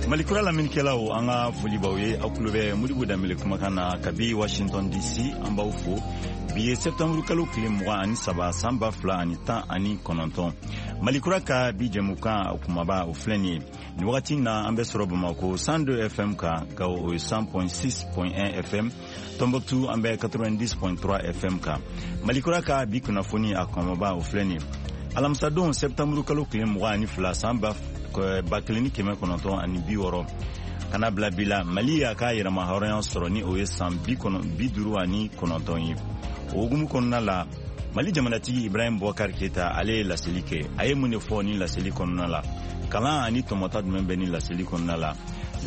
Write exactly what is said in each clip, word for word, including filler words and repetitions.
Malikura lamɛnnikɛlaw, an ka foli b'aw ye. Aw tulo bɛ Modibo Danbele kumakan na kabi Washington D C. An b'aw fo. Bi ye septembre kalo tile mugan ani saba, san ba fila ani tan ani kɔnɔntɔn. Malikura ka bi jɛmukan, o kumaba, o filɛ nin ye. Nin wagati na, an bɛ sɔrɔ Bamako cent deux F M kan, Gawo, o ye cent six point un F M, Tombouctou, an bɛ quatre-vingt-dix point trois F M kan. Malikura ka bi kunnafoni, a kumaba, o filɛ nin ye. Alamisadon, septembre kalo tile mugan ani fila, san ba ba kelen ni kɛmɛ kɔnɔntɔn ani bi wɔɔrɔ, ka na bila bi la, Mali y'a ka yɛrɛma hɔrɔnya sɔrɔ, ni o ye san bi duuru ani kɔnɔntɔn ye. O hukumu kɔnɔna la, Mali jamanatigi Ibrahim Boubacar Keyita, ale ye laseli kɛ. A ye mun de fɔ ni laseli kɔnɔna la? Kalan ani tɔmɔta jumɛn bɛ ni laseli kɔnɔna la?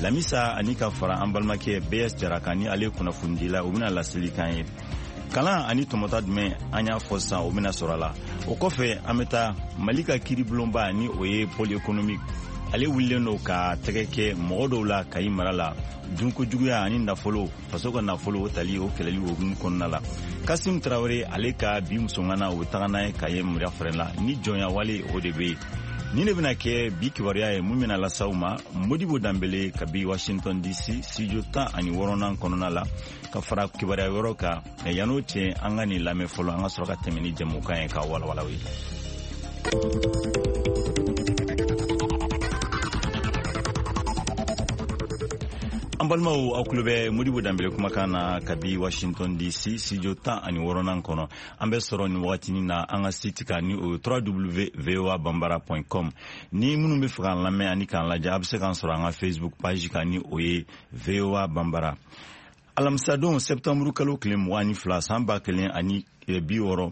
Lamisa ani ka fara an balimakɛ B S Jara kan, ni ale kunnafonidila, o bɛna laseli kan ye. Kalan ani tɔmɔta jumɛn, an y'a fɔ sisan, o bɛna sɔrɔ a la. O kɔfɛ, an bɛ taa Mali ka kiiribulonba, ni o ye Pôle économique, ale wulilen don ka tɛgɛ kɛ mɔgɔ dɔw la Kayi mara la, dunko juguya ani nafolo, faso ka nafolo, o tali, o kɛlɛli hukumu kɔnɔna la. Kasim Tarawele, ale ka bi musoŋana, o bɛ taga n'a ye Kaye mara fɛrɛ la, ni jɔnya wale, o de bɛ yen. Nin de bɛna kɛ bi kibaruya ye mun bɛna las'aw ma. Modibo Danbele kabi Washington D C, studio tan ani wɔɔrɔnan kɔnɔna la, ka fara kibaruya wɛrɛw kan. Mɛ yan'o cɛ, an ka nin lamɛn fɔlɔ, an ka sɔrɔ ka tɛmɛ ni jɛmukan ye k'a walawala ye. An balimaw, aw tulo bɛ Modibo Danbele kumakan na kabi Washington D C, studio tan ani wɔɔrɔnan kɔnɔ. An bɛ sɔrɔ nin wagatinin na an ka site kan, ni o ye w w w voa bambara com. Ni minnu bɛ fɛ k'an lamɛn ani k'an lajɛ, a bɛ se k'an sɔrɔ an ka Facebook page kan, ni o ye V O A Bambara. Alamisadon, septembre kalo tile mugan ni fila, san ba kelen ani bi wɔɔrɔ,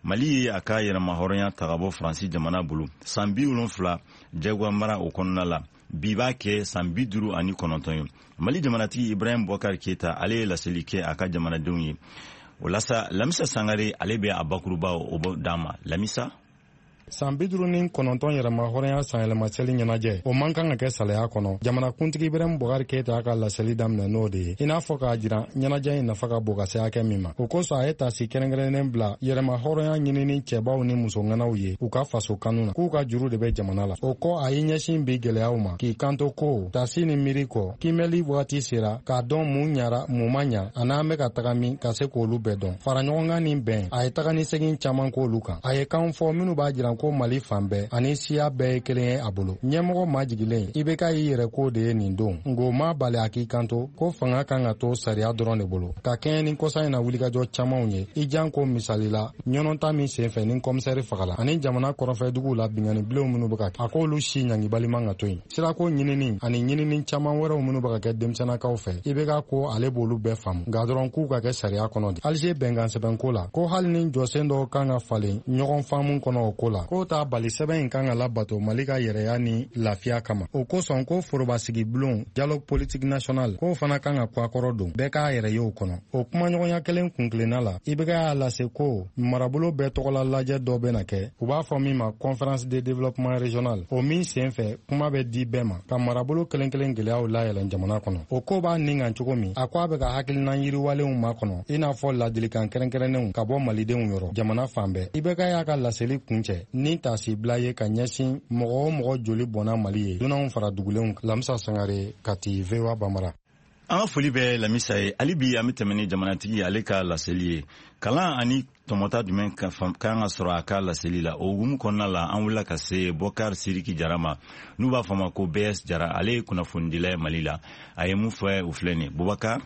Mali ye a ka yɛrɛma hɔrɔnya ta ka bɔ Faransi jamana bolo. San bi wolonfila jagoya mara o kɔnɔna la, bi b'a kɛ san bi duuru ani kɔnɔntɔn ye. Mali jamanatigi Ibrahim Boubacar Keyita, ale ye laseli kɛ a ka jamanadenw ye. O la sa, Lamisa Sangare, ale bɛ a bakuruba o d'an ma. Lamisa. San bi duuru ni kɔnɔntɔn yɛrɛma hɔrɔnya sanyɛlɛmaseli ɲɛnajɛ, o man kan ka kɛ salaya kɔnɔ. Jamanakuntigi Ibrahim Boubacar Keyita y'a ka laseli daminɛ n'o de ye, i n'a fɔ k'a jira ɲɛnajɛ in nafa ka bon ka se hakɛ min ma. O kosɔn, a ye tasi kɛrɛnkɛrɛnnen bila yɛrɛma hɔrɔnya ɲinini cɛbaw ni musoŋanaw ye u ka faso kanu na, k'u ka juru de bɛ jamana la. O kɔ, a y'i ɲɛsin bi gwɛlɛyaw ma, k'i kanto ko tasi ni miiri kɔ, kiimɛli wagati sera k'a dɔn mun ɲara, mun ma ɲa, ani an bɛ ka taga min, ka se k'olu bɛɛ dɔn. Fara ɲɔgɔnkan ni bɛn, a ye taga ni segin caman k'olu kan. A ye kan fɔ minnu b'a jira ko Mali fan bɛɛ ani siya bɛɛ ye kelen ye a bolo. Ɲɛmɔgɔ majigilen I B K y'i yɛrɛ ko de ye nin don, nko ma bali a k'i kanto ko fanga kan ka to sariya dɔrɔn de bolo, ka kɛɲɛ ni kɔsa in na wulikajɔ camanw ye, i jan ko misali la ɲɔnɔnta min senfɛ ni kɔmisɛri fagala, ani jamana kɔrɔfɛduguw la bingani bilenw minnu bɛ ka kɛ. A k'olu si ɲangibali man ka to yen. Sirako ɲinini ani ɲinini caman wɛrɛw minnu bɛ ka kɛ denmisɛnnakaw fɛ, I B K ko ale b'olu bɛɛ faamu, nka dɔrɔn k'u ka kɛ sariya kɔnɔ de. Alger bɛnkan sɛbɛnko la, ko hali ni jɔsen dɔw kan ka falen ɲɔgɔn faamu kɔnɔ o ko la, k'o t'a bali sɛbɛn in kan ka labato Mali ka yɛrɛya ni lafiya kama. O kosɔn, ko forobasigi bulon, dialogue politique national, k'o fana kan ka kɔ don, bɛɛ k'a yɛrɛ ye o kɔnɔ. O kumaɲɔgɔnya kelen kunkilenna la, I B K y'a lase ko marabolo bɛɛ tɔgɔla lajɛ dɔ bɛna kɛ, u b'a fɔ min ma conférence de développement régional, o min sen fɛ kuma bɛ di bɛɛ ma ka marabolo kelen kelen gwɛlɛyaw layɛlɛn jamana kɔnɔ. O ko b'a nin kan cogo min, a ko a bɛ ka hakilina yiriwalenw makɔnɔ, i n'a fɔ ladilikan kɛrɛnkɛrɛnnenw ka bɔ malidenw yɔrɔ jamana fan bɛɛ. I B K y'a ka laseli kuncɛ ni tasibila ye ka ɲɛsin mɔgɔ o mɔgɔ joli bɔnna Mali ye, dunanw fara dugulenw. Lamisa Sangare, Kati, V O A Bambara. An ka foli bɛ Lamisa ye. Hali bi, an bɛ tɛmɛ ni jamanatigi ale ka laseli ye. Kalan ani tɔmɔta jumɛn kan ka sɔrɔ a ka laseli la? O hukumu kɔnɔna la, an wulila ka se Bɔkar Siriki Jara ma, n'u b'a fɔ ma ko B S Jara. Ale ye kunnafonidila ye Mali la. A ye mun fɔ, o filɛ nin ye. Bubakar.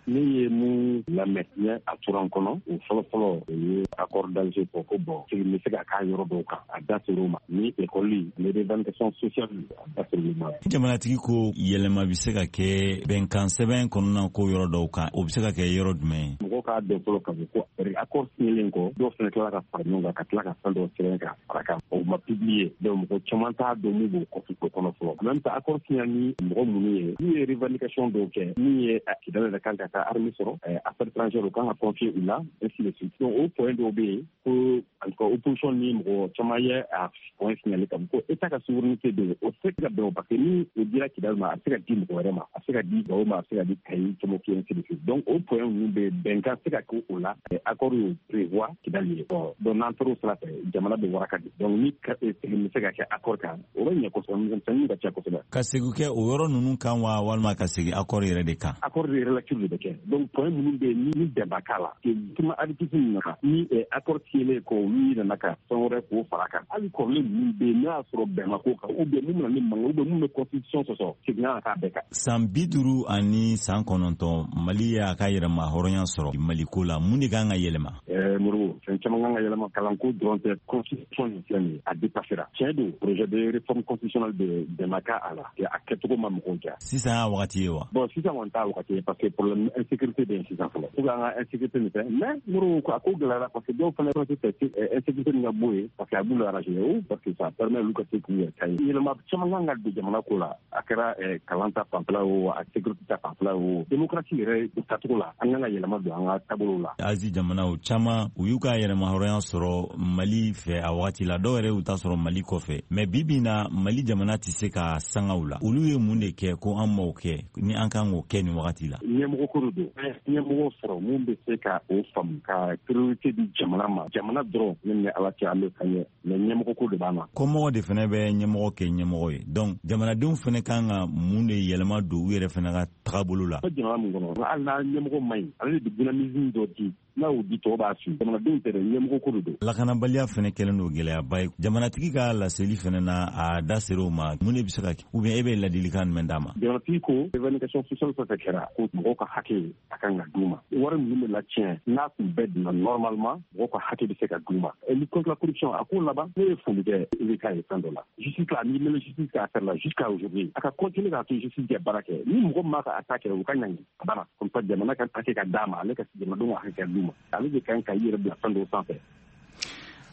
Ne ye mun lamɛn, n ye a tora n kɔnɔ, o fɔlɔfɔlɔ, o ye accord d'Alger fɔ, ko bon, segin bɛ se ka k'a yɔrɔ dɔw kan. A da ser'o ma, ni école, les revendications sociales, a da ser'olu ma. Jamanatigi ko yɛlɛma bɛ se ka kɛ bɛnkan sɛbɛn kɔnɔna ko yɔrɔ dɔw kan, o bɛ se ka kɛ yɔrɔ jumɛn ye? Mɔgɔw k'a dɔn fɔlɔ k'a fɔ ko accord signelen kɔ, dɔw fana tilala ka fara ɲɔgɔn kan, ka tila ka fɛn dɔw sɛbɛn ka fara kan. O ma publier, donc mɔgɔ caman t'a dɔn mun b'o kɔfɛ o kɔnɔ fɔlɔ. En même temps, accord signé ni mɔgɔ minnu ye, n'u ye revendication dɔw kɛ, min ye Kidal yɛrɛ kan ka taa armée sɔrɔ, affaires étrangères, o kan ka confier u la, ainsi de suite. Donc o point dɔw bɛ yen ko en tout cas opposition ni mɔgɔ caman ye a point signalé ka ko état ka souveraineté bɛ yen, o tɛ se ka bɛn o, parce que ni o dira Kidal ma, a bɛ se ka di mɔgɔ wɛrɛ ma, a bɛ se ka di Gawo ma, a bɛ se ka di Kayi, Tombouctou, ainsi de suite. Donc o point ninnu bɛ bɛnkan kan se ka kɛ o la, accord y'o prévoir Kidali ye. Bon, donc n'an taara o sira fɛ, jamana bɛ waraka di. Donc ni segin bɛ se ka kɛ accord kan, o bɛ ɲɛ kosɛbɛ, misɛnninw ka ca kosɛbɛ. Ka segin kɛ o yɔrɔ ninnu kan wa, walima ka segin accord yɛrɛ de kan? Accord de relecture de bɛ kɛ. Donc point minnu bɛ yen ni bɛn k'a la, tuma aditif ninnu kan, ni accord signelen kɔ, olu nana ka fɛn wɛrɛ k'o fara kan. Hali kɔrɔlen ninnu bɛ yen, n'a y'a sɔrɔ bɛn ma k'o kan, ou bien mun bɛna ni mankan, ou bien mun bɛ constitution sɔsɔ, segin kan k'a bɛɛ kan. San bi duuru ani san kɔnɔntɔn, Mali y'a ka yɛrɛma hɔrɔnya sɔrɔ Maliko la, mun de kan ka yɛlɛma? Ɛɛ Moribo, fɛn caman kan ka yɛlɛma. Kalanko dɔrɔn tɛ, constitution nin filɛ nin ye, a dépassera. Tiɲɛ don, projet de réforme constitutionnelle de bɛn ma k'a la, a kɛcogo ma mɔgɔw diya. Sisan y'a wagati ye wa? Bon, sisan kɔni t'a wagati ye, parce que problème insécurité bɛ yen sisan fɔlɔ. Faut que an ka insécurité nin fɛ, mais Moribo, a ko gɛlɛyara, parce que dɔw fana tɛ fɛ insécurité nin ka bɔ yen, parce que a b'u arranger o, parce que ça permet olu ka se k'u yɛrɛ ta ye. Yɛlɛma caman kan ka don jamana ko la, a kɛra kalan ta fanfɛla o, a sécurité ta fanfɛla o, démocratie yɛrɛ tacogo la, an kan ka yɛlɛma don an ka taabolo la. Asie jamanaw caman, u y'u ka yɛrɛma hɔrɔnya sɔrɔ Mali fɛ a wagati la, dɔw yɛrɛ y'u ta sɔrɔ Mali kɔfɛ. Mais bi bi na, Mali jamana tɛ se ka sanga u la. Olu ye mun de kɛ ko an m'o kɛ ni an kan k'o kɛ nin wagati la? Ɲɛmɔgɔ ko de don. Ɲɛmɔgɔ sɔrɔ mun bɛ se ka o faamu, ka priorité di jamana ma. Jamana dɔrɔn ne ni Ala cɛ, an bɛ ka ɲɛ, mais ɲɛmɔgɔ ko de b'an na. Kɔmɔgɔ de fana bɛ ɲɛmɔgɔ kɛ ɲɛmɔgɔ ye. Donc jamanadenw fana kan ka mun de yɛlɛma don u yɛrɛ fana ka tagabolo la? Jamana mun kɔnɔ, hali n'a ɲɛmɔgɔ man ɲi, ale de bɛ dynamisme dɔ di, n'a y'o di, tɔw b'a su. Jamanadenw tɛ dɛ, ɲɛmɔgɔ ko de don. Lakanabaliya fana kɛlen don gɛlɛyaba ye. Jamanatigi ka laseli fana na, a da sera o ma. Mun de bɛ se ka kɛ, ou bien e bɛ ladilikan jumɛn d'a ma? Jamanatigi ko revendication sociale fɛn fɛn kɛra, ko mɔgɔw ka hakɛ a kan ka d'u ma. Wari minnu bɛ latiɲɛ, n'a tun bɛɛ donna normalement, mɔgɔw ka hakɛ bɛ se ka d'u ma. Lutte contre la corruption, a ko laban, ne ye foli kɛ I B K ye fɛn dɔ la. Justice la, n'i mɛnna justice ka affaire la jusqu'à aujourd'hui, a ka continuer k'a to justice kɛ baara kɛ. Ni mɔgɔ min m'a ka attaque kɛ, o ka ɲangi. A banna. Comme ça, jamana ka hakɛ ka d'a ma, ale ka jamanadenw ka hakɛ ka d'u ma. Ale de kan ka i yɛrɛ bila fɛn dɔw sanfɛ.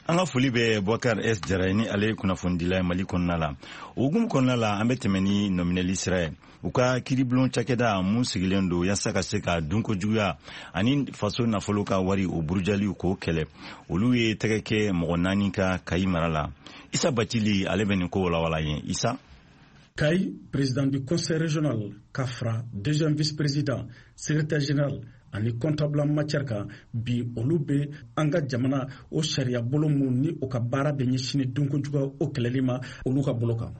An ka foli bɛ Boubacar S Jara ye, ni ale ye kunnafonidila ye Mali kɔnɔna la. O hukumu kɔnɔna la, an bɛ tɛmɛ ni nɔminɛli sira ye. U ka kiiribulon cakɛda mun sigilen don yaasa ka se ka dunko juguya ani faso nafolo ka wari o burujaliw k'o kɛlɛ, olu ye tɛgɛ kɛ mɔgɔ naani ka Kayi mara la. Isa Bacili, ale bɛ nin ko walawala ye. Isa. Kayi, président du conseil régional, ka fara deuxième vice-président, secrétaire général ani comptable en matière kan, bi olu bɛ an ka jamana o sariya bolo mun ni o ka baara bɛ ɲɛsin dunkojuguya o kɛlɛli ma, olu ka bolo kan.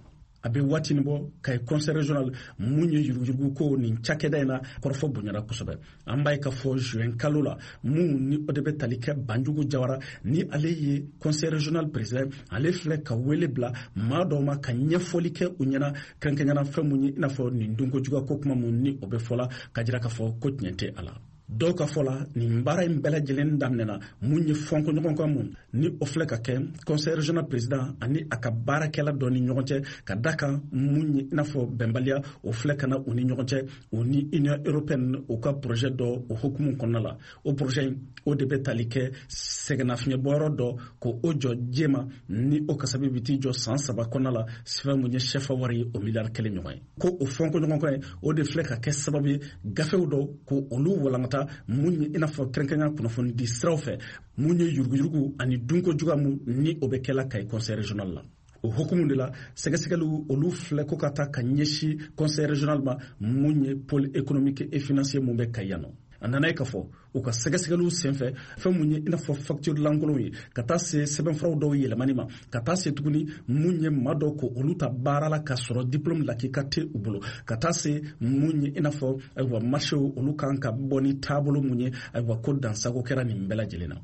A bɛ waati nin bɔ, Kayi conseil régional mun ye yuruguyurugu ko nin cakɛda in na, kɔrɔfɔ bonyana kosɛbɛ. An b'a ye k'a fɔ juin kalo la, mun ni o de bɛ tali kɛ Banjugu Jawara, ni ale ye conseil régional président, ale filɛ ka wele bila maa dɔw ma ka ɲɛfɔli kɛ u ɲɛna, kɛrɛnkɛrɛnnenya fɛn mun ye i n'a fɔ nin dunkojuguya ko kuma mun ni o bɛ fɔ la, ka jira k'a fɔ ko tiɲɛ tɛ a la. Dɔw ka fɔ la, nin baara in bɛɛ lajɛlen daminɛna mun ye fɔnkɔɲɔgɔn mun ni o filɛ ka kɛ conseil régional président ani a ka baarakɛla dɔ ni ɲɔgɔn cɛ, ka da kan mun ye i n'a fɔ bɛnbaliya o filɛ ka na u ni ɲɔgɔn cɛ, o ni Union européenne o ka projet dɔ o hukumu kɔnɔna la. O projet in, o de bɛ tali kɛ sɛgɛnnafiɲɛbɔyɔrɔ dɔ ko o jɔ jema, ni o kasabi bɛ t'i jɔ san saba kɔnɔna la, fɛn mun ye sɛfa wari ye o miliyari kelen ɲɔgɔn ye. Ko o fɔnkɔɲɔgɔn ye, o de filɛ ka kɛ sababu ye gafew dɔ ko olu walankata mun ye i n'a fɔ kɛrɛnkɛrɛnya kunnafoni di siraw fɛ mun ye yuruguyurugu ani dunko juguya mun ni o bɛ kɛla Kayi conseil régional la. O hukumu de la, sɛgɛsɛgɛliw olu filɛ ko ka taa ka ɲɛsin conseil régional ma mun ye pôle économique et financier mun bɛ Kayi yan nɔ. A nana ye k'a fɔ u ka sɛgɛsɛgɛliw senfɛ, fɛn mun ye i n'a fɔ facture lankolonw ye, ka taa se sɛbɛnfuraw dɔw yɛlɛmani ma, ka taa se tuguni mun ye maa dɔw ko olu ta baara la ka sɔrɔ diplôme lakika tɛ u bolo, ka taa se mun ye i n'a fɔ ayiwa marché olu kan ka bɔ ni taabolo mun ye, ayiwa ko dansago kɛra nin bɛɛ lajɛlen na.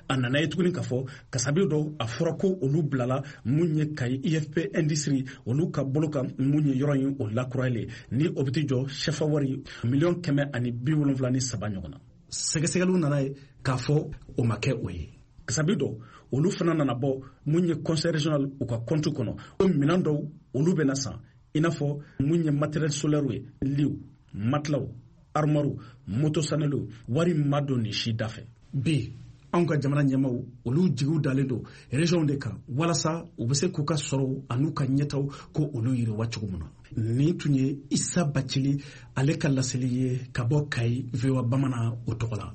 A nana ye tuguni k'a fɔ kasabi dɔw a fɔra ko olu bilala mun ye Kayi I F P industrie olu ka bolo kan mun ye yɔrɔ in o lakurayalen, ni o bɛ t'i jɔ sɛfa wari miliyɔn kɛmɛ ani bi wolonwula ni saba ɲɔgɔn na. Sɛgɛsɛgɛliw nana ye k'a fɔ o ma kɛ o ye. Kasabi dɔw olu fana nana bɔ mun ye conseil régional u ka compte kɔnɔ, o minɛn dɔw olu bɛna san, i n'a fɔ mun ye matériel solaire ye, liw, matelaw, armoire, moto saneliw, wari ma don nin si da fɛ. Bi anw ka jamana ɲɛmaw olu jigiw dalen don région de kan walasa u bɛ se k'u ka sɔrɔw an'u ka ɲɛtaw ko olu yiriwa cogo min na. Nin tun ye Isa Bacili ale ka laseli ye ka bɔ Kayi V O A Bamanan o tɔgɔ la.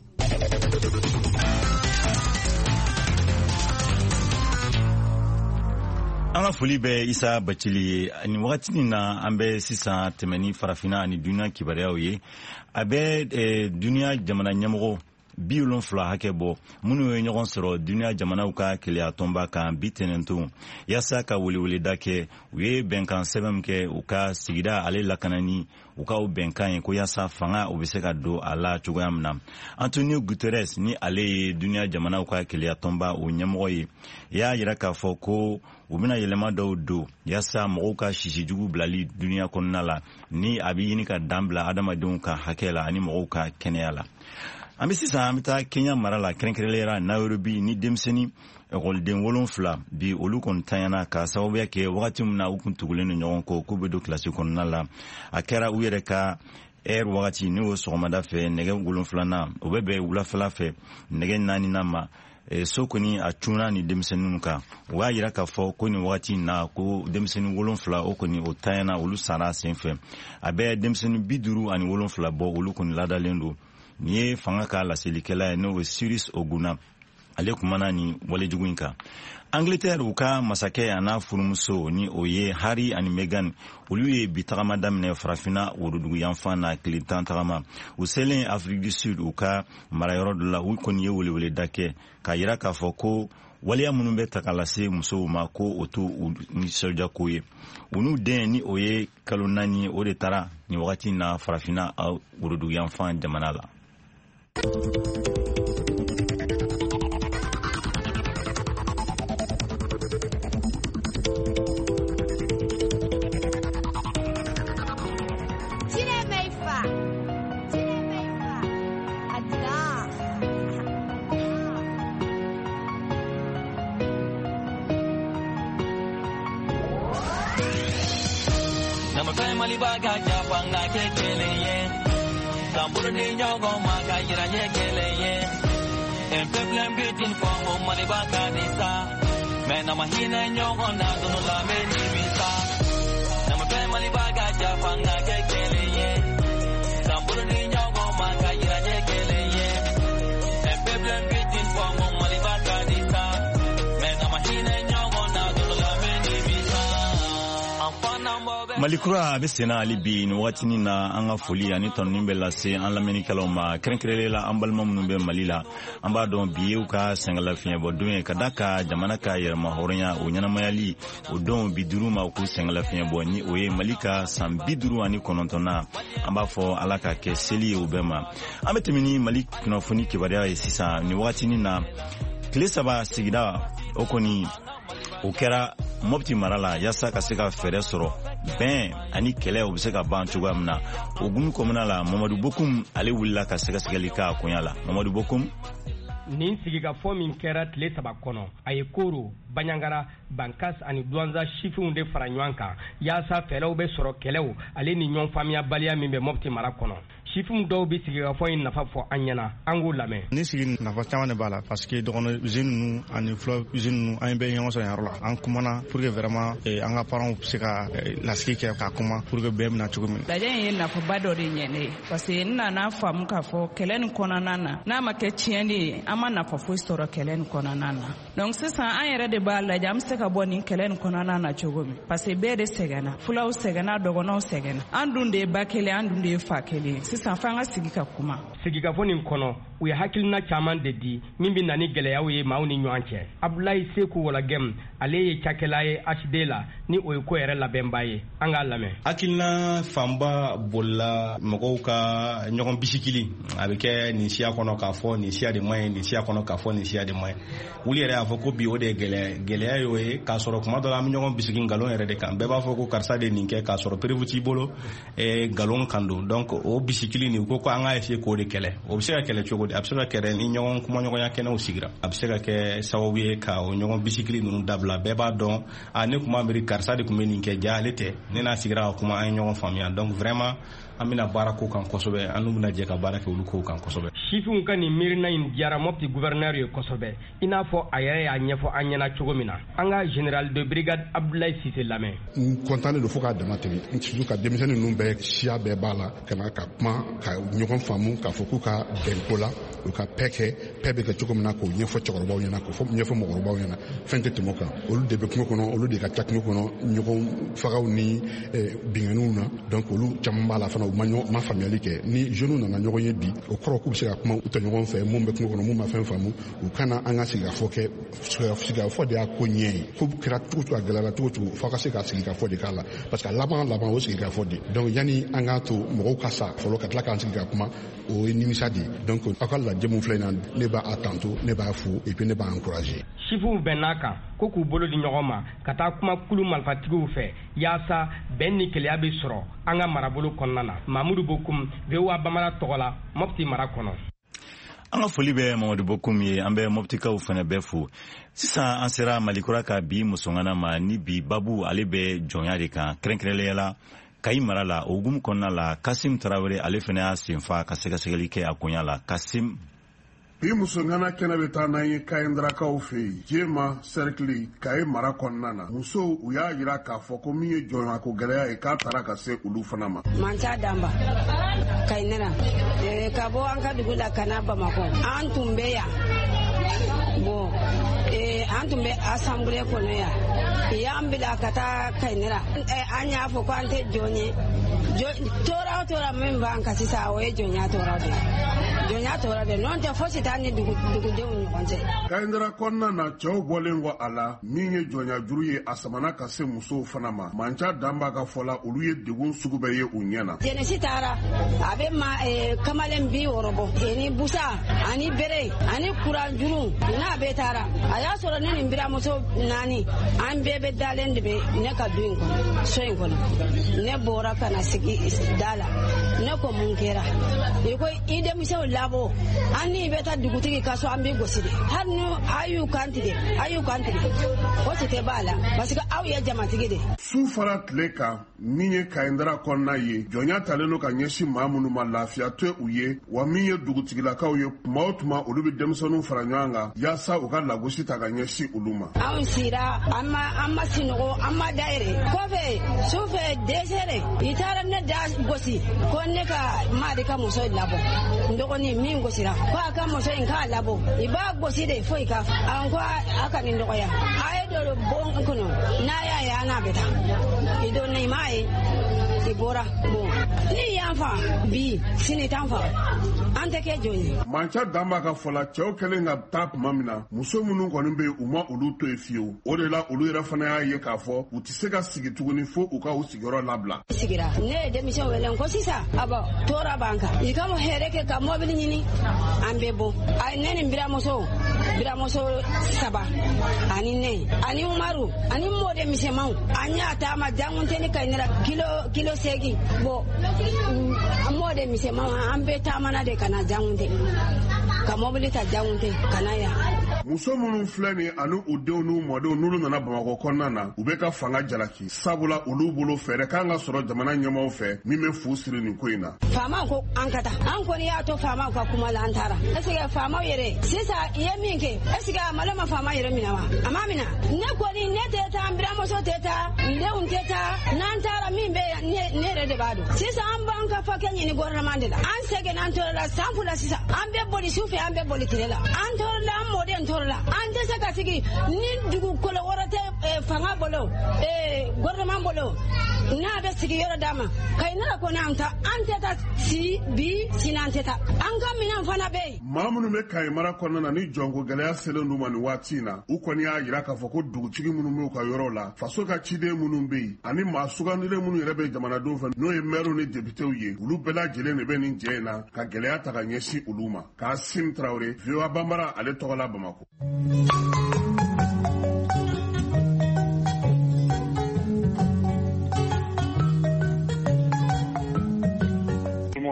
An ka foli bɛ Isa Bacili ye. Nin wagati nin na, an bɛ sisan tɛmɛ ni farafinna ani duniya kibaruyaw ye. A bɛ duniya jamana ɲɛmɔgɔ bi wolonfila hakɛ bɔ minnu ye ɲɔgɔn sɔrɔ duniya jamanaw ka keleya tɔnba kan bi tɛnɛnton yaasa ka weleweleda kɛ. U ye bɛnkan sɛbɛn min kɛ u ka sigida ale lakanani, u ka o bɛnkan ye ko yaasa fanga o bɛ se ka don a la cogoya min na. Antonio Guterres, ni ale ye duniya jamanaw ka keleya tɔnba o ɲɛmɔgɔ ye, y'a yira k'a fɔ ko u bɛna yɛlɛma dɔw don yaasa mɔgɔw ka sisijugu bilali duniya kɔnɔna la, ni a bɛ ɲini ka dan bila adamadenw ka hakɛ la ani mɔgɔw ka kɛnɛya la. An bɛ sisan an bɛ taa Kenya mara la, kɛrɛnkɛrɛnnenya la Nairobi, ni denmisɛnnin ekɔliden wolonfila bi olu kɔni tanyana ka sababuya kɛ wagati min na u kun tugulen don ɲɔgɔn kɔ k'u bɛ don kilasi kɔnɔna la. A kɛra u yɛrɛ ka ɛri wagati, n'o ye sɔgɔmada fɛ nɛgɛ wolonfilanan, o bɛ bɛn wulafɛla fɛ nɛgɛ naaninan ma. So kɔni a cunna ni denmisɛnninw kan. U y'a yira k'a fɔ ko nin wagati in na ko denmisɛnnin wolonfila o kɔni o tanyana, olu sara sen fɛ. A bɛ denmisɛnnin bi duuru ani wolonfila bɔ, olu kɔni ladalen don. Nin ye fanga ka laselikɛla ye, n'o ye Cyrus Oguna, ale kumana nin walejugu in kan. Angleterre, u ka masakɛ a n'a furumuso, ni o ye Harry ani Meghan, olu ye bi tagama daminɛ farafinna woroduguyanfan na, tile tan tagama. U selen Afrique du Sud, u ka marayɔrɔ dɔ la, u kɔni ye weleweleda kɛ k'a yira k'a fɔ ko waleya minnu bɛ ta ka lase musow ma, ko o t'u nisɔndiyako ye. U n'u den, ni o ye kalo naani ye, o de taara nin wagati in na farafinna woroduguyanfan jamana la. Mali kura a bɛ senna hali bi nin wagatinin na. An ka foli ani tɔnɔni bɛ lase an lamɛnnikɛlaw ma, kɛrɛnkɛrɛnnenya la an balima minnu bɛ Mali la. An b'a dɔn bi ye u ka sɛgɛnlafiɲɛbɔ don ye, ka da ka jamana ka yɛrɛmahɔrɔnya o ɲɛnamayali o don bi duuru ma u k'u sɛgɛnlafiɲɛbɔ, ni o ye Mali ka san bi duuru ani kɔnɔntɔnna. An b'a fɔ Ala ka kɛ seli ye u bɛɛ ma. An bɛ tɛmɛ ni Mali kunnafoni kibaruya ye sisan nin wagatinin na. Tile saba sigida o kɔni o kɛra Mopti mara la yaasa ka se ka fɛɛrɛ sɔrɔ bɛn ani kɛlɛ o bɛ se ka ban cogoya min na. O gumu kɔnɔna la, Mamadu Bokum ale wulila ka sɛgɛsɛgɛli k'a koɲa la. Mamadu Bokum. Nin sigikafɔ min kɛra tile saba kɔnɔ, a ye Koro, Banjagara, Bankas ani Duwanza sifinw de fara ɲɔgɔn kan yaasa fɛɛrɛw bɛ sɔrɔ kɛlɛw ale ni ɲɔgɔn faamuyabaliya min bɛ Mopti mara kɔnɔ. Sifinw dɔw bɛ sigikafɔ in nafa fɔ an ɲɛna, an k'u lamɛn. Ni sigi nafa caman de b'a la, parce que dɔgɔnɔ usine ninnu ani fula usine ninnu, an bɛɛ ɲɔgɔn sɔrɔ yɔrɔ la. An kumana pour que vraiment an ka parents bɛ se ka lasigi kɛ ka kuma pour que bɛɛ bɛna cogo min. Lajɛ in ye nafaba dɔ de ɲɛ ne ye, parce que n nana faamu k'a fɔ kɛlɛ nin kɔnɔna na, n'a ma kɛ tiɲɛni ye, an ma nafa foyi sɔrɔ kɛlɛ nin kɔnɔna na. Donc sisan an yɛrɛ de b'a lajɛ an bɛ se ka bɔ nin kɛlɛ nin kɔnɔna na cogo min, parce que bɛɛ de sɛgɛnna, fulaw sɛgɛnna, dɔgɔnɔw sɛgɛnna, an dun de ye ba kelen, an dun de ye fa kelen. Sisan f'an ka sigi ka kuma. Sigikafɔ nin kɔnɔ, u ye hakilina caman de di min bɛ na ni gɛlɛyaw ye maaw ni ɲɔgɔn cɛ. Abulayi Seku Walagɛm, ale ye cakɛla ye H D la, ni o ye ko yɛrɛ labɛnba ye. An k'a lamɛn. Hakilina fanba bolila mɔgɔw ka ɲɔgɔn bisikili. A bɛ kɛ nin siya kɔnɔ k'a fɔ nin siya de man ɲi, nin siya kɔnɔ k'a fɔ nin siya de man ɲi. Wuli yɛrɛ y'a fɔ ko bi o de ye gɛlɛya gɛlɛya y'o ye, k'a sɔrɔ kuma dɔ la an bɛ ɲɔgɔn bisigi nkalon yɛrɛ de kan. Bɛɛ b'a fɔ ko karisa de nin kɛ, k'a sɔrɔ preuve t'i bolo, nkalon kan don. Donc o bisikili nin, u ko ko an k'a essayer k'o de kɛlɛ. O bɛ se ka kɛlɛ cogo di? A bɛ se ka kɛlɛ ni ɲɔgɔn kumaɲɔgɔnya kɛnɛw sigira. A bɛ se ka kɛ sababu ye ka o ɲɔgɔn bisikili ninnu dabila. Bɛɛ b'a dɔn, a ne kun b'a miiri karisa de tun bɛ nin kɛ, ja ale tɛ. Ne n'a sigira ka kuma, an ye ɲɔgɔn faamuya. Donc vraiment an bɛna baara ko kan kosɛbɛ, an n'u bɛna jɛ ka baara kɛ olu kow kan kosɛbɛ. Sifinw ka nin miirina in diyara Mopti gouverneur ye kosɛbɛ, i n'a fɔ a yɛrɛ y'a ɲɛfɔ an ɲɛna cogo min na. An ka général de brigade Abdoulaye Cissé lamɛn. N kɔntannen don fo k'a dama tɛmɛ, surtout ka denmisɛnnin ninnu bɛɛ, siya bɛɛ b'a la, ka na ka kuma ka ɲɔgɔn faamu, k'a fɔ k'u ka bɛn ko la. U ka paix kɛ, paix bɛ kɛ cogo min na k'o ɲɛfɔ cɛkɔrɔbaw ɲɛna, k'o ɲɛfɔ mɔgɔkɔrɔbaw ɲɛna. Fɛn tɛ tɛmɛ o kan. Olu de bɛ kungo kɔnɔ, olu de ka ca kungo kɔnɔ ɲɔgɔn fagaw ni binganiw na. Donc olu caman b'a la fana, u ma ɲɔgɔn ma faamuyali kɛ. Ni jeunes nana ɲɔgɔn ye bi, o kɔrɔ k'u bɛ se ka kuma u tɔɲɔgɔn fɛ, mun bɛ kungo kɔnɔ, mun ma fɛn faamu, u kana an ka sigikafɔ kɛ. Sigikafɔ de y'a ko ɲɛ ye. Ko kɛra cogo cogo, a gɛlɛyara cogo cogo, f'a ka se ka sigikafɔ de k'a la, parce que a laban laban o sigikafɔ de. Donc yanni an k'a to mɔgɔw ka sa fɔlɔ ka tila k'an sigi ka kuma, o ye nimisa de ye. Donc aw ka lajɛ mun filɛ nin na, ne b'a tanto, ne b'a fo, et puis ne b'a encourager. Sifinw bɛnn'a kan ko k'u bolo di ɲɔgɔn ma ka taa kuma kulu marifatigiw fɛ yaasa bɛn ni keleya bɛ sɔrɔ an ka marabolo kɔnɔna na. Mamudu Bokum, V O A Bambara tɔgɔ la, Mopti mara kɔnɔ. An ka foli bɛ Mamadu Bokum ye, an bɛ Moptikaw fana bɛɛ fo. Sisan an sera Malikura ka bi musongana ma, ni bi babu ale bɛ jɔnya de kan, kɛrɛnkɛrɛnnenya la Kayi mara la. O hukumu kɔnɔna la, Kasim Tarawele ale fana y'a senfa ka sɛgɛsɛgɛli kɛ a koɲa la. Kasim. Bi musongana kɛnɛ bɛ taa n'an ye Kayindarakaw fɛ yen, Jema sɛrikili, Kayi mara kɔnɔna na. Musow u y'a jira k'a fɔ ko min ye jɔnyako gɛlɛya ye, k'a taara ka se olu fana ma. Mansa Danba, Kayinɛra, ka bɔ an ka dugu la ka na Bamakɔ, an tun bɛ yan. Bon, an tun bɛ asanbule kɔnɔ yan. I y'an bila ka taa Kayinɛra. An y'a fɔ ko an tɛ jɔn ye. Tɔɔrɔ o tɔɔrɔ min b'an kan sisan, o ye jɔnya tɔɔrɔ de ye. Jɔnya tɔɔrɔ de, n'o tɛ fosi t'an ni dugudenw ni ɲɔgɔn cɛ. Kayindara kɔnɔna na, cɛw bɔlen kɔ a la, min ye jɔnya juru ye, a samana ka se musow fana ma. Manca Danba ka fɔ la, olu ye degun sugu bɛɛ ye u ɲɛ na. Jɛnɛsi taara, a bɛ ma kamalen bi wɔɔrɔ bɔ, ni busa ani bere ani kuran juru n'a bɛɛ taara. A y'a sɔrɔ ne ni n biramuso naani, an bɛɛ bɛ dalen de bɛ ne ka du in kɔnɔ, so in kɔnɔ. Ne bɔra ka na sigi da la, ne ko mun kɛra? I ko i denmisɛnw labɔ, an ni bɛ taa dugutigi ka so, an b'i gosi de. Hali ni a y'u kan tigɛ, a y'u kan tigɛ, o si tɛ b'a la, parce que aw ye jamatigi de. Su fara tile kan, min ye Kayindara kɔnɔna ye, jɔnya talen don ka ɲɛsin maa minnu ma, lafiya tɛ u ye, wa min ye dugutigilakaw ye, tuma o tuma olu bɛ denmisɛnninw fara ɲɔgɔn kan yaasa u ka lagosi ta ka ɲɛsin olu ma. Anw sira, an ma an ma sinɔgɔ, an ma da yɛrɛ. Kɔfɛ sufɛ dɛsɛre, i taara ne da gosi ko ne ka maadi ka muso labɔ, n dɔgɔnin min gosira ko a ka muso in k'a labɔ, i b'a gosi de foyi ka an ko a ka nin dɔgɔya, a ye don bon kɔnɔ, n'a y'a ye an n'a bɛ taa, i donna i m'a ye, i bɔra. Bon, ni y'an fa bi, sini t'an fa, an tɛ kɛ jɔn ye. Manca Danba ka fɔ la, cɛw kɛlen ka taa tuma min na, muso minnu kɔni bɛ yen, u ma olu to yen fiyewu. O de la olu yɛrɛ fana y'a ye k'a fɔ u tɛ se ka sigi tuguni fo u ka u sigiyɔrɔ labila. Sigira, ne ye denmisɛnw wele ko sisan, abɔ tɔɔrɔ b'an kan, i ka hɛrɛ kɛ ka mɔbili ɲini, an bɛ bɔ. A ne ni biramuso, biramuso saba ani ne ani Umaru ani mɔden misɛnmanw, an y'a taama Jangunteni Kayinɛra kilo kilo seegin. Bon, mɔden misɛnmanw an bɛɛ taamana de ka na Jangunte, ka mɔbili ta Jangunte ka na yan. Muso minnu filɛ nin ani u denw n'u mɔdenw n'olu nana Bamakɔ kɔnɔna na, u bɛ ka fanga jalaki, sabula olu bolo fɛɛrɛ kan ka sɔrɔ jamana ɲɛmaaw fɛ min bɛ fu siri nin ko in na. Faamaw ko an ka taa, an kɔni y'a to faamaw ka kuma la, an taara. Est-ce que faamaw yɛrɛ sisan i ye min kɛ, est-ce que a malo ma faama yɛrɛ minɛ wa? A ma minɛ. Ne kɔni ne tɛ taa, n biramuso tɛ taa, n denw tɛ taa, n'an taara min bɛ ne yɛrɛ de b'a dɔn. Sisan an b'an ka fakɛ ɲini gouvernement de la. An sɛgɛnna, an tɔɔrɔla san fila sisan, an bɛ boli su fɛ, an bɛ boli tile la, an tɔɔrɔla, an mɔden tɔɔrɔla, an tɛ se ka sigi ni dugukolo wɛrɛ tɛ fanga bolo, gouvernement bolo, n'a bɛ sigi yɔrɔ d'a ma. Kayinɛra kɔni an ta, an tɛ taa si bi, sini an tɛ taa, an ka minɛn fana bɛ yen. Maa minnu bɛ Kayi mara kɔnɔna na ni jɔnko gɛlɛya selen d'u ma nin waati in na, u kɔni y'a jira k'a fɔ ko dugutigi minnu b'u ka yɔrɔ la, faso ka ciden minnu bɛ yen, ani maa sugandilen minnu yɛrɛ bɛ jamanadenw fɛ, n'o ye mɛriw ni depitew ye, olu bɛɛ lajɛlen de bɛ nin jɛ in na ka gɛlɛya ta ka ɲɛsin olu ma. Kasim Tarawele, V O A Bambara, ale tɔgɔ la Bamakɔ.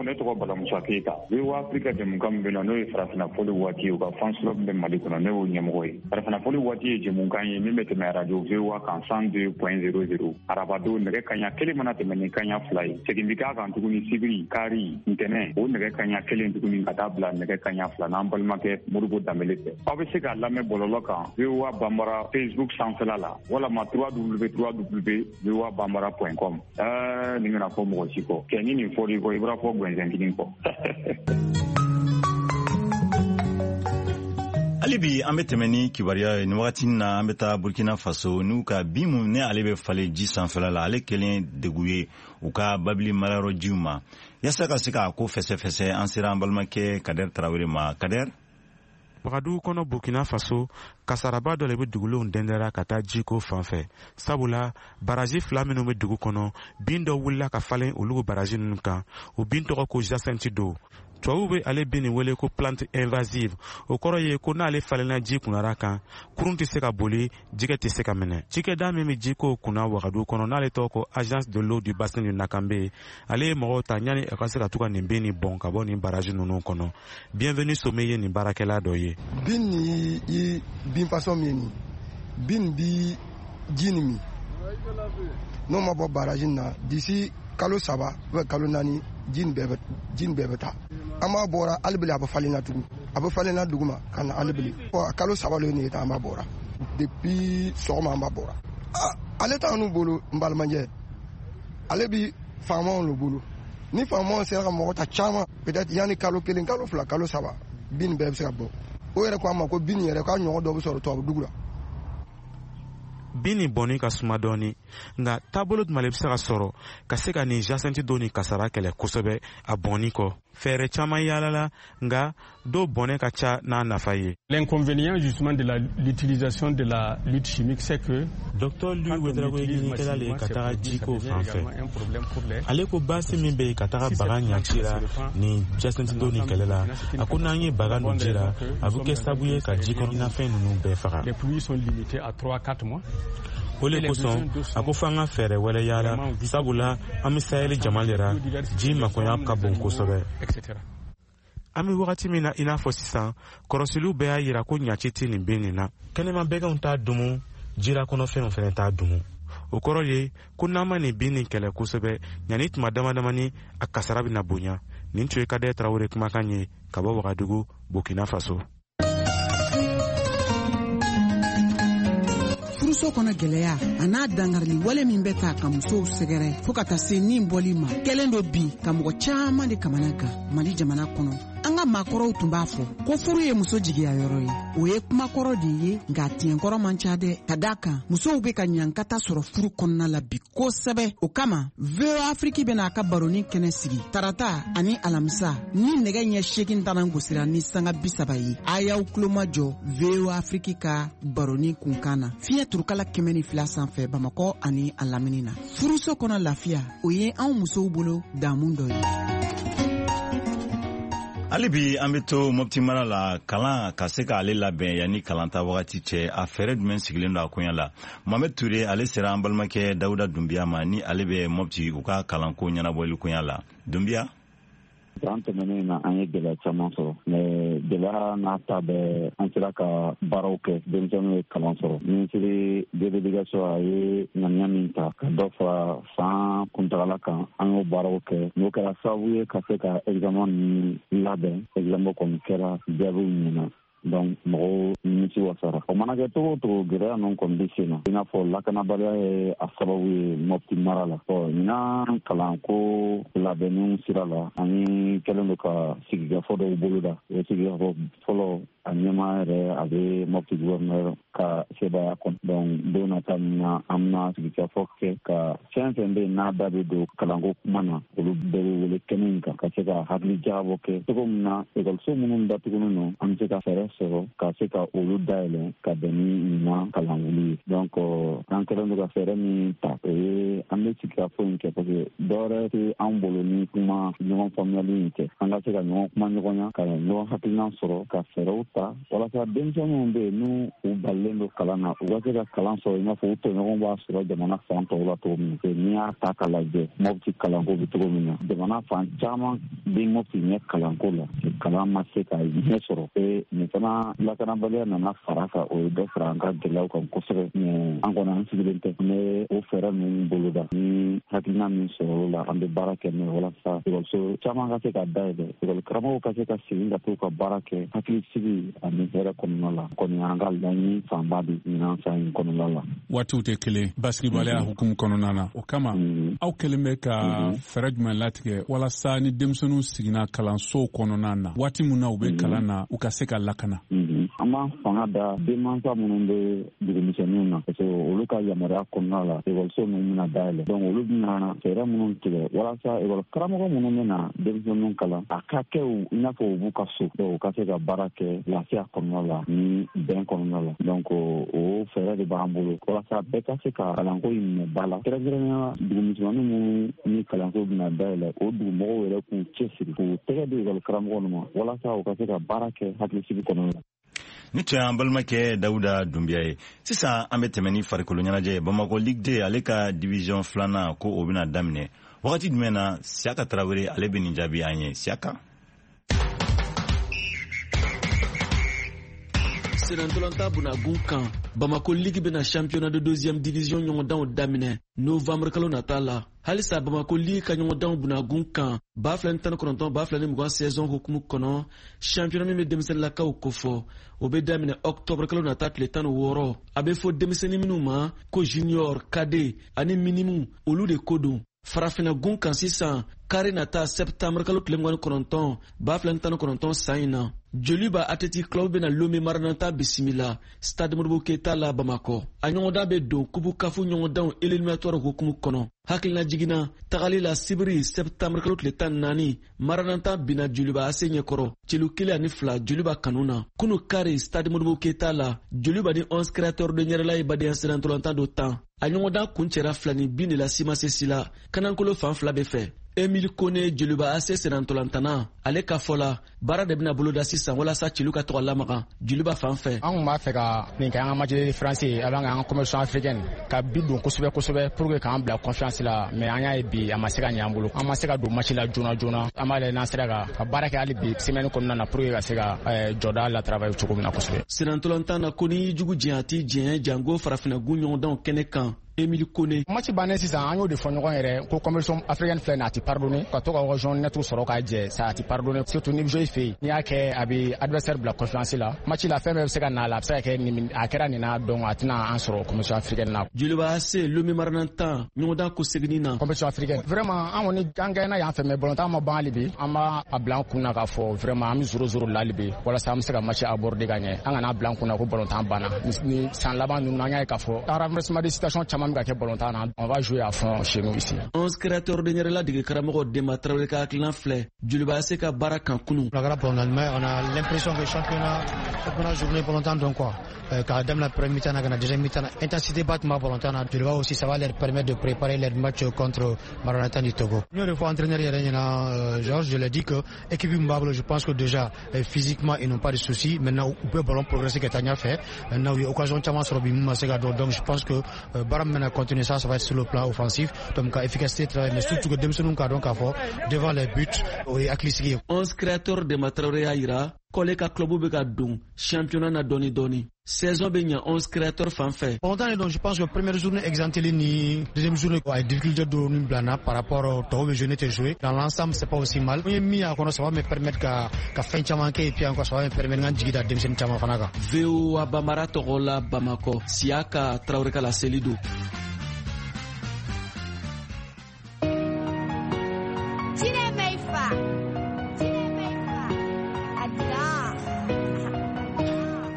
Ne tɔgɔ Bala Musa Keyita. V O A Afrika jɛmukan min bɛ na, n'o ye farafinna fɔli waati ye, u ka fans club bɛ Mali kɔnɔ, ne y'o ɲɛmɔgɔ ye. Farafinna fɔli waati ye jɛmukan ye min bɛ tɛmɛ radio V O A kan cent deux point zéro zéro. Arabadon nɛgɛ kanɲɛ kelen mana tɛmɛ ni kanɲɛ fila ye. Segin bɛ k'a kan tuguni sibiri, kari, ntɛnɛn, o nɛgɛ kanɲɛ kelen tuguni ka taa bila nɛgɛ kanɲɛ fila n'an balimakɛ Modibo Danbele fɛ. Aw bɛ se k'a lamɛn bɔlɔlɔ kan V O A Bambara Facebook sanfɛla la walama w w w V O A bambara point com. Ɛɛ nin kana fɔ mɔgɔ si kɔ. Kɛ ni nin fɔr'i kɔ, i bɔra fɔ gɛnzɛn kelen kɔ. Hali bi an bɛ tɛmɛ ni kibaruya ye nin wagati na, an bɛ taa Burkina Faso n'u ka bin mun ne ale bɛ falen ji sanfɛla la, ale kɛlen degun ye u ka babili marayɔrɔ jiw ma. Yaasa ka se k'a ko fɛsɛfɛsɛ, an sera an balimakɛ Kader Tarawele ma. Kader. Wagadugu kɔnɔ, Burkina Faso, kasaraba dɔ le bɛ dugulenw dɛndɛra ka taa jiko fan fɛ, sabula baraji fila minnu bɛ dugu kɔnɔ, bin dɔ wulila ka falen olu baraji ninnu kan. O bin tɔgɔ ko jacinthe d'eau. Tubabuw bɛ ale bin nin wele ko plante invasive. O kɔrɔ ye ko n'ale falenna ji kunnara kan, kurun tɛ se ka boli, jɛgɛ tɛ se ka minɛ. Cikɛda min bɛ jiko kunna Wagadugu kɔnɔ, n'ale tɔgɔ ko Agence de l'eau du bassin du Nakambe, ale ye mɔgɔw ta ɲani a ka se ka to ka nin bin nin bɔn ka bɔ nin baraji ninnu kɔnɔ. Bienvenu Somé ye nin baarakɛla dɔ ye. Bin ni i bin façon min ye nin, bin bi ji nin min, n'o ma bɔ baraji na d'ici kalo saba ou kalo naani, ji nin bɛɛ bɛ ji nin bɛɛ bɛ taa. An b'a bɔra hali a bɛ falen na tugun, a bɛ falen na dugu ma ka na hali bili. Kalo saba le nin ye, an b'a bɔra depuis sɔgɔma, an b'a bɔra. Ale t'an bolo, n balimakɛ, ale bi faamaw le bolo. Ni faamaw sera ka mɔgɔ ta caman, peut-être yanni kalo kelen, kalo fila, kalo saba, bin nin bɛɛ bɛ se ka bɔ. O yɛrɛ ko an ma ko bin nin yɛrɛ k'a ɲɔgɔn dɔ bɛ sɔrɔ tubabu dugu la. Bin nin bɔnni ka suma dɔɔni, nka taabolo jumɛn le bɛ se ka sɔrɔ ka se ka nin jacinthe d'eau ni kasara kɛlɛ kosɛbɛ a bɔnni kɔ? Fɛɛrɛ caman yaalala, nka dɔw bɔnɛ ka ca n'a nafa ye. L'inconvénient justement de la l'utilisation de la lutte chimique, c'est que Docteur Louis Ouedraogo ye ɲininikɛla le ye ka taga jiko fan fɛ. Ale ko baasi min bɛ yen ka taga baga ɲaci la nin jacinthe d'eau nin kɛlɛ la, a ko n'an ye baga nun ji la, a bɛ kɛ sababu ye ka ji kɔnɔnafɛn ninnu bɛɛ faga. Les pluies sont limitées à trois quatre mois. O le kosɔn a ko f'an ka fɛɛrɛ wɛrɛ yaala, sabula an bɛ Sahel jama le ra, ji makoya ka bon kosɛbɛ. An bɛ wagati min na i n'a fɔ sisan, kɔrɔsiliw bɛɛ y'a yira ko ɲaci tɛ nin bin nin na. Kɛnɛma bɛganw t'a dumu, jira kɔnɔfɛnw fɛnɛ t'a dumu. O kɔrɔ ye ko n'an ma nin bin nin kɛlɛ kosɛbɛ, ɲani tuma dama damani a kasara bɛna bonya. Nin tun ye Kader Tarawele kumakan ye ka bɔ Wagadugu, Burkina Faso. Furuso kɔnɔ gɛlɛya a n'a dangarili wale min bɛ ta ka musow sɛgɛrɛ fo ka taa se nin bɔli ma, kɛlen do bi ka mɔgɔ caman de kamana kan Mali jamana kɔnɔ. An ka maakɔrɔw tun b'a fɔ ko furu ye muso jigiya yɔrɔ ye. O ye kumakɔrɔ de ye, nka tiɲɛkɔrɔ man ca dɛ, ka d'a kan musow bɛ ka ɲankata sɔrɔ furu kɔnɔna la bi kosɛbɛ. O kama V O A Afrique bɛna a ka baroni kɛnɛ sigi tarata ani alamisa ni nɛgɛ ɲɛ seegin tanan gosira ni sanga bi saba ye. A y'aw tulomajɔ V O A Afrique ka baroni kunkan na fiɲɛ turukala kɛmɛ ni fila sanfɛ Bamakɔ ani a lamini na. Furuso kɔnɔ lafiya, o ye anw musow bolo damu dɔ ye. Hali bi an bɛ to Mopti mara la, kalan ka se k'ale labɛn yanni kalanta wagati cɛ, a fɛɛrɛ jumɛn sigilen don a koɲɛ la? Mohamed Touré ale sera an balimakɛ Dawuda Dunbiya ma, ni ale bɛ Mopti u ka kalanko ɲɛnabɔli koɲɛ la. Dunbiya. San tɛmɛnen na, an ye gɛlɛya caman sɔrɔ, mais gɛlɛya n'a ta bɛɛ, an sera ka baaraw kɛ, denmisɛnninw ye kalan sɔrɔ. Minisiri de l'éducation a ye ŋaniya min ta ka dɔ fara san kuntagala kan, an y'o baaraw kɛ. N'o kɛra sababu ye ka se ka examen ninnu labɛn. Examen kɔni kɛra, jaabiw ɲɛna, donc mɔgɔw nimisi wasara. O mana kɛ cogo o cogo, gɛlɛya ninnu kɔni bɛ sen na, i n'a fɔ lakanabaliya ye a sababu ye Mopti mara la. Ɔ ɲinan kalanko labɛnniw sira la, an ye kɛlen don ka sigikafɔ dɔw boloda. O sigikafɔ fɔlɔ, a ɲɛmaa yɛrɛ a bɛ Mopti gouverneur ka sebaaya kɔnɔ. Donc don nata min na, an bɛna sigikafɔ kɛ ka fɛn fɛn bɛ yen n'a da bɛ don kalanko kuma na, olu bɛɛ bɛ wele kɛnɛ in kan ka se ka hakili jagabɔ kɛ cogo min na ekɔliso minnu datugulen don, an bɛ se ka fɛɛrɛ sɔrɔ ka se ka olu dayɛlɛ ka bɛn ni ɲinan kalanwuli ye. Donc an kɛlen don ka fɛɛrɛ min ta, o ye an bɛ sigikafɔ in kɛ, parce que dɔwɛrɛ tɛ an bolo ni kuma ɲɔgɔn faamuyali in tɛ. An ka se ka ɲɔgɔn kuma ɲɔgɔnya, ka ɲɔgɔn hakilina sɔrɔ, ka fɛɛrɛw ta walasa denmisɛnninw bɛ yen n'u u balilen don kalan na, u ka se ka kalan sɔrɔ i n'a fɔ u tɔɲɔgɔnw b'a sɔrɔ jamana fan tɔw la cogo min na. N'i y'a ta k'a lajɛ, Mopti kalanko bɛ cogo min na, jamana fan caman bɛ Mopti ɲɛ kalanko la, kalan ma se ka ɲɛ sɔrɔ. E nin fana lakanabaliya nana fara kan, o ye dɔ fara an ka gɛlɛyaw kan kosɛbɛ. Mais an kɔni an sigilen tɛ, an bɛ o fɛɛrɛ ninnu boloda. Ni hakilina min sɔrɔ o la, an bɛ baara kɛ n'o ye walasa ekɔliso caman ka se ka dayɛlɛ, ekɔli karamɔgɔw ka se ka segin ka t'u ka baara kɛ hakilisigi ani hɛrɛ kɔnɔna la. Kɔni an ka laɲini fanba de ɲinan san in kɔnɔna la. Waatiw tɛ kelen basigibaliya hukumu kɔnɔna na. O kama aw kɛlen bɛ ka fɛɛrɛ jumɛn latigɛ walasa ni denmisɛnninw siginna kalansow kɔnɔna na, waati min na u bɛ kalan na, u ka se ka lakana? sinsin. An b'an fanga da denmansa minnu bɛ dugumisɛnninw na, parce que olu ka yamaruya kɔnɔna la ekɔliso ninnu bɛna dayɛlɛ. Donc olu bɛna fɛɛrɛ minnu tigɛ walasa ekɔli karamɔgɔ minnu bɛna denmisɛnninw kalan, a ka kɛ i n'a fɔ u b'u ka so, donc u ka se ka baara kɛ lafiya kɔnɔna la ni bɛn kɔnɔna la. Donc o fɛɛrɛ de b'an bolo walasa bɛɛ ka se ka kalanko in minɛ ba la, kɛrɛnkɛrɛnnenya la dugumisɛnnin minnu ni kalanso bɛna dayɛlɛ, o dugumɔgɔw yɛrɛ k'u cɛsiri k'u tɛgɛ di ekɔli karamɔgɔ ninnu ma walasa u ka se ka baara kɛ hakilisigi kɔnɔna la. Ni tun y'an balimakɛ Dawuda Dunbiya ye. Sisan an bɛ tɛmɛ ni farikolo ɲɛnajɛ ye. Bamakɔ Ligue deux, ale ka division filanan, ko o bɛna daminɛ wagati jumɛn na? Siyaka Tarawele, ale bɛ nin jaabi an ye. Siyaka. Senantolanta bunagun kan, Bamako Ligue bɛna championnat de deuxième division ɲɔgɔndanw daminɛ novembre kalo nata la. Halisa Bamako Ligue ka ɲɔgɔndanw bunagun kan, ba fila ni tan ni kɔnɔntɔn ba fila ni mugan saison hukumu kɔnɔ, championnat min bɛ denmisɛnninlakaw kofɔ, o bɛ daminɛ octobre kalo nata tile tan ni wɔɔrɔ. A bɛ fɔ denmisɛnnin minnu ma ko junior, cadet ani minime, olu de ko don. Farafinna gun kan sisan, kari nata septembre kalo tile mugan ni kɔnɔntɔn, ba fila ni tan ni kɔnɔntɔn san in na, Joliba Athletic Club bɛna Lome Maranata bisimila Stade Modibo Keyita la Bamakɔ. A ɲɔgɔndan bɛ don Coupe CAF ɲɔgɔndanw éliminatoire hukumu kɔnɔ. Hakilina jiginna tagali la, sibiri septembre kalo tile tan ni naani, Maranata binna Joliba A C ɲɛkɔrɔ celu kelen ani fila Joliba kanu na. Kunu kari, Stade Modibo Keyita la, Joliba ni Onze Créateurs de Ɲɛrɛla ye badenya sennantolatan dɔ tan. A ɲɔgɔndan kuncɛra fila ni bin de la simase la kanankolo fan fila bɛɛ fɛ. Emile Kone, Joliba A C sennantolantana, ale ka fɔ la, baara de bɛna boloda sisan walasa celu ka tɔgɔ lamaga Joliba fan fɛ. An kun b'a fɛ ka nin kɛ an ka match de référence ye avant an ka compétition africaine, ka bi don kosɛbɛ kosɛbɛ pour que k'an bila confiance la, mais an y'a ye bi a ma se ka ɲɛ an bolo, an ma se ka don match la joona joona. An b'a lajɛ n'an sera ka ka baara kɛ hali bi semaine kɔnɔna na pour que ka se ka jɔda la travailler cogo min na kosɛbɛ. Sennantolatan na ko n'i jugu jɛn, a t'i jɛn, jango farafinna-gun ɲɔgɔndanw kɛnɛ kan. Emile Kone. Match bannen sisan, an y'o de fɔ ɲɔgɔn yɛrɛ ko compétition africaine filɛ nin, a ti pardonner ka to ka occasion net sɔrɔ k'a jɛ, ça a ti pardonner, surtout ni bɛ jouer i fɛ yen. N'i y'a kɛ, a bɛ adversaire bila confiance la. Match la, fɛn bɛɛ bɛ se ka na a la, a bɛ se ka kɛ nin, a kɛra nin na, donc a tɛna an sɔrɔ compétition africaine na. Joliba A C, Lome Maranata ɲɔgɔndan ko seginni na. Compétition africaine, vraiment, an kɔni an gagné yan fɛ, mais ballontan ma ban hali bi. An b'a a bila an kun na k'a fɔ vraiment an bɛ zéro zéro la hali bi, walasa an bɛ se ka match aborder ka ɲɛ. An kana bila an kun na ko ballontan banna. Ni san laban ninnu, an y'a ye k'a fɔ renversement de situation caman bɛ ka kɛ ballontan na. On va jouer à fond chez nous ici. Onze Créateurs de Ɲɛrɛla dege karamɔgɔ Denba Tarawele ka hakilina filɛ Joliba A C ka baara kan kunu. A kɛra ballontan mais on a l'impression que championnat championnat journée ballontan donc quoi, k'a daminɛ première mi-temps na ka na deuxième mi-temps na, intensité ba tun b'a ballontan na. Joliba aussi, ça va leur permettre de préparer leur match contre Maranatha du Togo. N y'o de fɔ entraîneur yɛrɛ ɲɛna, Georges, je l'ai dit que équipe min b'a bolo, je pense que déjà physiquement ils n'ont pas de soucis. Maintenant u bɛ ballon progresser ka taa ɲɛfɛ. Maintenant u ye occasion caman sɔrɔ bi min ma se ka don, donc je pense que baara min bɛna continuer, ça ça va être sur le plan offensif, donc ka efficacité travailler, mais surtout que denmisɛnninw k'a dɔn k'a fɔ devant les buts, o ye hakilisigi ye. Onze Créateurs Denba Tarawele y'a yira k'ale ka club bɛ ka don championnat na dɔɔni dɔɔni, saison bɛ ɲa Onze Créateurs fan fɛ. Ballontan donc je pense que première journée exempteli ni deuxième journée a ye difficulté dɔɔni bila n na par rapport tɔw bɛ jouer, ne tɛ jouer. Dans l'ensemble, c'est pas aussi mal. N ye min y'a kɔnɔ, ça va me permettre ka ka fɛn caman kɛ et puis encore ça va me permettre n ka jigi da denmisɛnnin caman fana kan. V O A Bambara tɔgɔ la Bamakɔ, Siyaka Tarawele ka laseli don. Cine Meifa. Cine Meifa. Adida.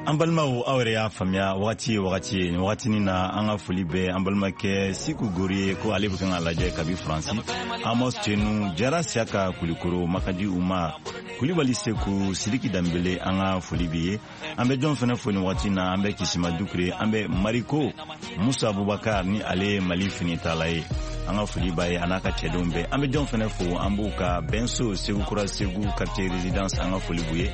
An balimaw, aw yɛrɛ y'a faamuya, wagati ye wagati ye. Nin wagatinin na, an ka foli bɛ an balimakɛ Siku Gori ye, ko ale bɛ kan ka lajɛ kabi Faransi. Amos Tenu Jara, Siyaka Kulikoro, Makaji Umar Kulibali, Seku Sidiki Danbele, an ka foli bi ye. An bɛ jɔn fɛnɛ fo nin wagati na? An bɛ Kisima Dukure, an bɛ Mariko Musa Abubakar, ni ale ye Mali finitala ye, an ka foli b'a ye a n'a ka cɛdenw bɛɛ. An bɛ jɔn fɛnɛ fo? An b'u ka bɛnso Segu Kura, Segu quartier résidence, an ka foli b'u ye.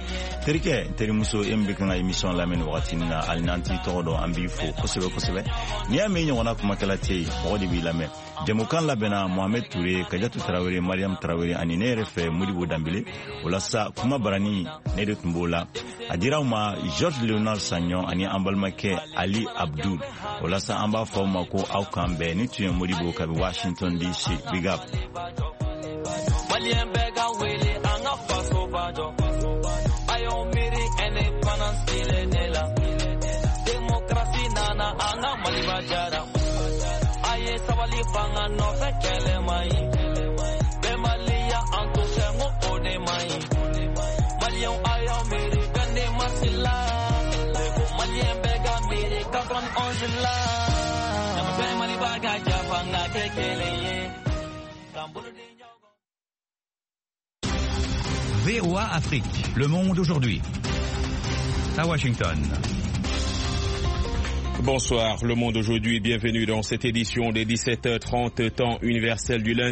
Terikɛ, terimuso, e min bɛ kan ka émission lamɛn nin wagati na, hali n'an t'i tɔgɔ dɔn, an b'i fo kosɛbɛ kosɛbɛ. N'i y'a mɛn ɲɔgɔnna kumakɛla tɛ yen, mɔgɔ de b'i lamɛn. Jɛmukan labɛnna Mohamed Ture, Kajatu Tarawele, Mariam Tarawele ani ne yɛrɛ fɛ Modibo Danbele. O la sa, kuma barani ne de tun b'o la, a dira aw ma Georges Léonard Sagnon ani an balimakɛ Ali Abdul. O la sa, an b'a fɔ aw ma ko aw k'an bɛn. Ni tun ye Modibo kabi Washington D C. Big up. Malien bɛɛ ka wele, an ka faso ba jɔ. A y'aw miiri indépendance kelen de la. Démocratie nana, an ka Maliba jara. A ye sabali, fanga nɔfɛ kɛlɛ man ɲi. Bɛnbaliya an to fɛ, n ko o de man ɲi. Maliyɛnw, a y'aw miiri vingt-deux mars la. fila. Ɲamafɛn Maliba ka jafa n ka kɛ kelen ye. K'an bolo di ɲɔgɔn. V O A Afrique, le monde aujourd'hui. À Washington. Bonsoir, le monde aujourd'hui, bienvenue dans cette édition des dix-sept heures trente temps universel du lundi.